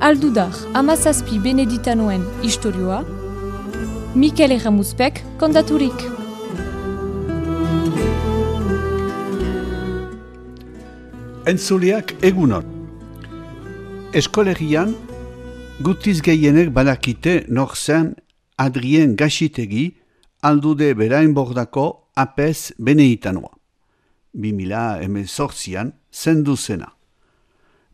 Aldudar, hamazazpi beneditanoen istorioa, Mikel Erramuzpek kontaturik. Entzuleak egunon. Eskolegian, gutiz gehienek badakite nor zen Adrien Gaxitegi aldude berainbordako apez beneditanoa. 2018an zendu zena.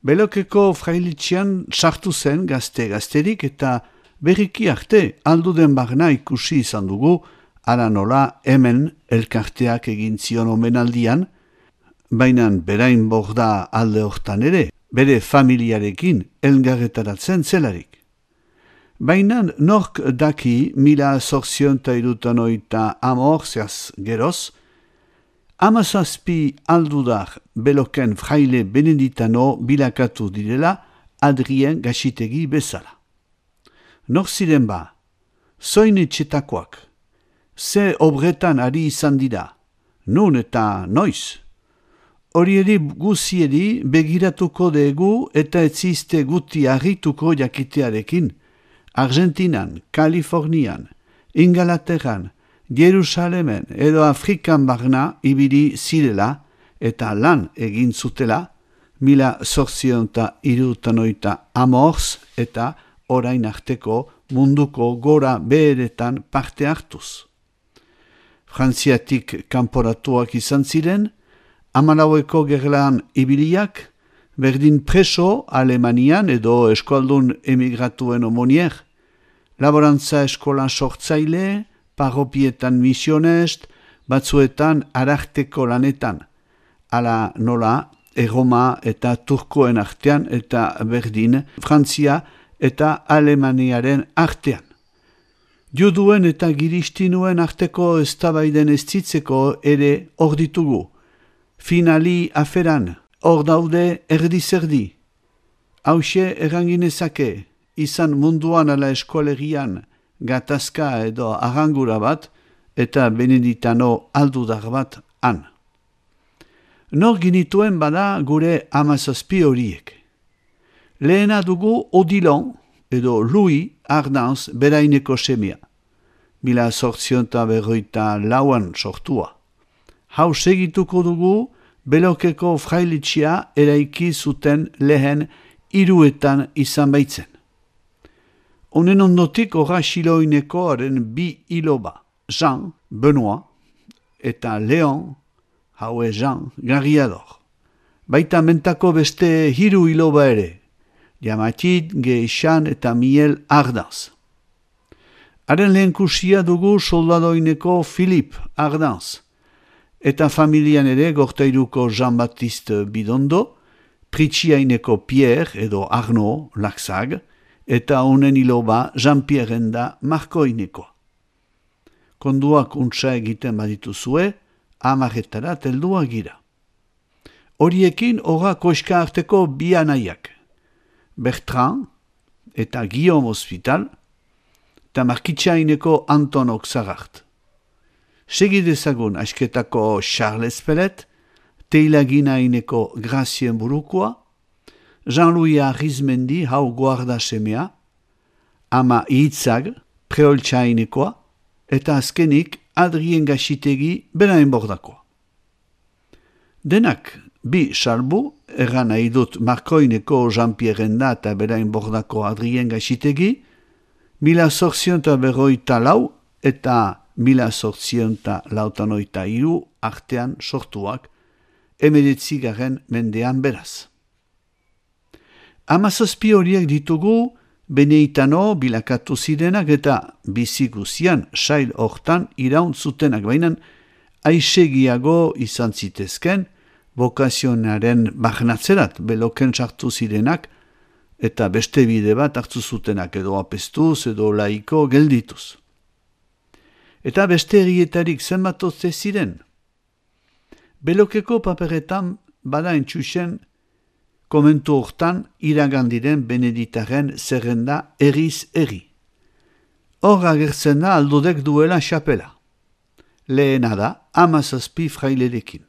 Belokeko frailitxean sartu zen gazterik eta berriki arte alduden barna ikusi izan dugu, ala nola hemen elkarteak egin zion omenaldian, baina berain borda alde hortan ere, bere familiarekin elgarretaratzen zelarik. Baina nork daki 1868 geroz, hamazazpi aldudar beloken fraile beneditano bilakatu direla Adrien Gaxitegi bezala. Nor ziren ba, zoin etxetakoak, ze obretan ari izan dira, nun eta noiz. Horieri guzieri begiratuko dugu eta etzizte guti harrituko jakitearekin, Argentinan, Kalifornian, Ingalaterran, Jerusalemen edo Afrikan barna ibili zirela eta lan egin zutela 1870 eta orain arteko munduko gora beheretan parte hartuz. Frantziatik kanporatuak izan ziren, 14 gerlan ibiliak, berdin preso Alemanian edo eskualdun emigratuen omonier, laborantza eskolan sortzaile, parropietan misionest, batzuetan ararteko lanetan, ala nola Erroma eta Turkoen artean eta berdin Frantzia eta Alemaniaren artean. Juduen eta giristinuen arteko eztabaiden eztitzeko ere hor ditugu. Finali aferan, hor daude erdi-zerdi. Hauxe erranginezake, izan munduan ala eskolegian, gatazka edo arrangura bat, eta beneditano aldudar bat han. Nor ginituen bada gure hamazazpi horiek. Lehena dugu Odilon, edo Louis Ardanz beraineko semea. 1854an sortua. Hau segituko dugu Belokeko frailitxia eraiki zuten lehen hiruetan izan baitzen. Honen ondotik horra xiloinekoaren bi iloba, Jean, Benoit, eta Leon, haue Jean, Garriador. Baita mentako beste hiru iloba ere, Jamatit, Geixan eta Miel Ardanz. Haren lehenkusia dugu soldadoineko Philippe Ardanz, eta familian ere gortairuko Jean-Baptiste Bidondo, Pritxiaineko Pierre edo Arnaud Laxag, eta honen iloba Jean-Pierre da Markoinekoa. Konduak untsa egiten badituzue, 10 teldua gira. Horiekin horra koska arteko bi anaiak, Bertrand eta Guillaume Hospital, eta Markitxaineko Anton Oxagart. Segidezagun asketako Charles Pellet, Teilaginaineko Gracien Burukoa, Jean-Louis Arizmendi hau guarda semea, ama Itzag, Preoltxainekoa, eta azkenik Adrien Gaxitegi berainbordakoa. Denak bi salbu, erran nahi dut Markoineko Jean-Pierre da eta berainbordako Adrien Gaxitegi, 1854 eta 1883 artean sortuak, 19. mendean beraz. Hamazazpi horiek ditugu beneditano bilakatu zirenak eta biziguzian sail hortan iraun zutenak, baina aisegiago izan zitezken bokazionaren bagnatzerat beloken sartu zirenak eta beste bide bat hartu zutenak edo apestuz edo laiko geldituz. Eta beste herrietarik zenbatotze ziren. Belokeko paperetan bada entxusen komentu hortan iragandiren beneditaren zerrenda erriz erri. Hor agertzen da aldudek duela xapela. Lehena da 17 frailerekin.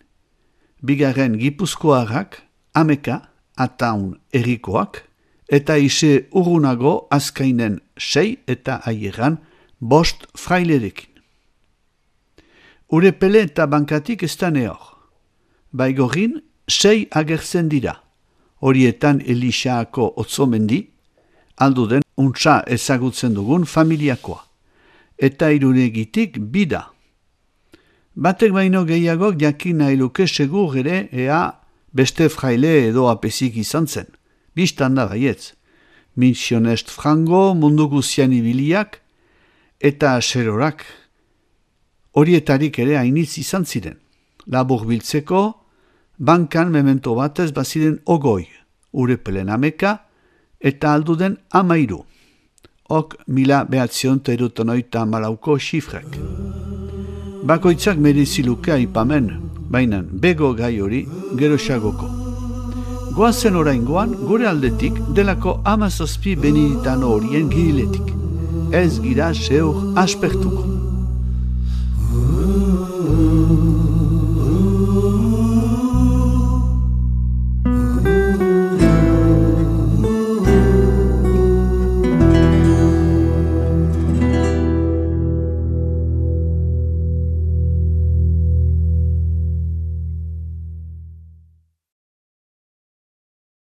bigarren Gipuzkoarrak, Ameka, Ataun errikoak, eta ise urrunago Azkainen 6 eta Aieran 5 frailerekin. Urepele eta bankatik ez da nehor. Baigorin 6 agertzen dira, horietan Elixaako Otzomendi, alduden untsa ezagutzen dugun familiakoa, eta Irunegitik bida. Batek baino gehiagok jakin nahi luke segur ere ea beste fraile edo apezik izan zen. Bistan da baietz. Misionest frango, mundu guzian ibiliak, eta serorak. Horietarik ere hainitz izan ziren. Labur biltzeko, bankan memento batez baziren ogoi, Urepelen Ameka, eta alduden 13. Ok 1980 xifrek. Bakoitzak mereziluke aipamen, baina bego gai hori geroxagoko. Goazen oraingoan gure aldetik delako 17 beneditano horien giriletik. Ez gira seur aspertuko.